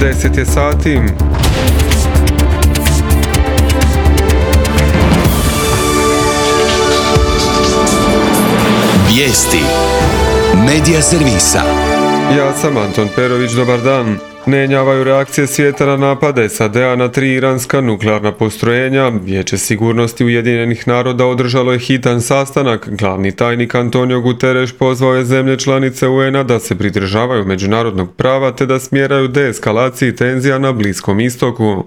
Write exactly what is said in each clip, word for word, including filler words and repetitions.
deset je sati. Vijesti Medija servisa. Ja sam Anton Perović, dobar dan. Ne jenjavaju reakcije svijeta na napade S A D-a na tri iranska nuklearna postrojenja. Vijeće sigurnosti Ujedinjenih naroda održalo je hitan sastanak. Glavni tajnik Antonio Guterres pozvao je zemlje članice U N-a da se pridržavaju međunarodnog prava te da smjeraju deeskalaciji tenzija na Bliskom istoku.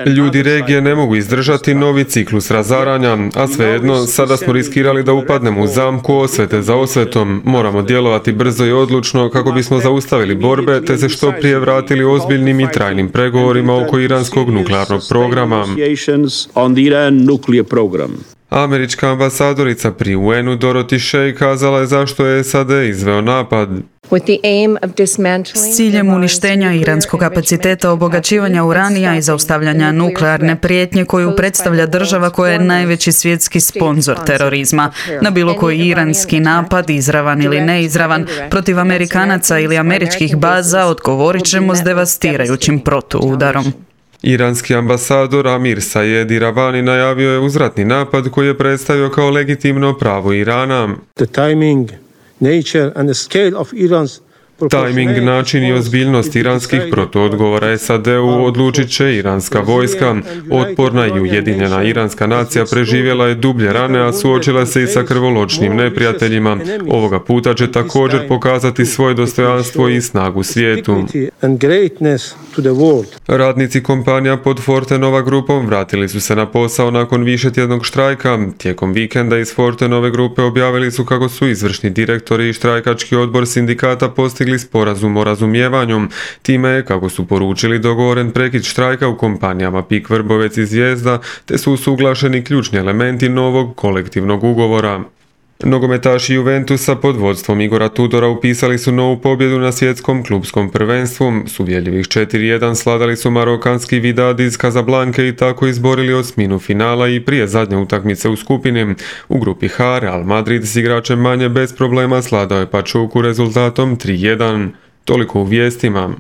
Ljudi regije ne mogu izdržati novi ciklus razaranja, a svejedno sada smo riskirali da upadnemo u zamku osvete za osvetom. Moramo djelovati brzo i odlučno kako bismo zaustavili borbe te se što prije vratili ozbiljnim i trajnim pregovorima oko iranskog nuklearnog programa. Američka ambasadorica pri U N-u Dorothy Shea kazala je zašto je S A D izveo napad. S ciljem uništenja iranskog kapaciteta obogaćivanja uranija i zaustavljanja nuklearne prijetnje koju predstavlja država koja je najveći svjetski sponzor terorizma. Na bilo koji iranski napad, izravan ili neizravan, protiv Amerikanaca ili američkih baza odgovorit ćemo s devastirajućim protuudarom. Iranski ambasador Amir Sayed Iravani najavio je uzvratni napad koji je predstavio kao legitimno pravo Irana. The timing, nature and the scale of Iran's Tajming, način i ozbiljnost iranskih protuodgovora S A D-u odlučit će iranska vojska. Otporna i ujedinjena iranska nacija preživjela je dublje rane, a suočila se i sa krvoločnim neprijateljima. Ovoga puta će također pokazati svoje dostojanstvo i snagu svijetu. Radnici kompanija pod Fortenova grupom vratili su se na posao nakon višetjednog štrajka. Tijekom vikenda iz Fortenove grupe objavili su kako su izvršni direktori i štrajkački odbor sindikata postigli sporazum o razumijevanju. Time je, kako su poručili, dogovoren prekid štrajka u kompanijama Pik, Vrbovec i Zvijezda, te su usuglašeni ključni elementi novog kolektivnog ugovora. Nogometaši Juventusa pod vodstvom Igora Tudora upisali su novu pobjedu na svjetskom klupskom prvenstvu. S uvjerljivih četiri jedan sladali su marokanski Vidad iz Kazablanke i tako izborili osminu finala i prije zadnje utakmice u skupini. U grupi H Real Madrid s igračem manje bez problema sladao je Pachuku rezultatom tri jedan. Toliko u vijestima.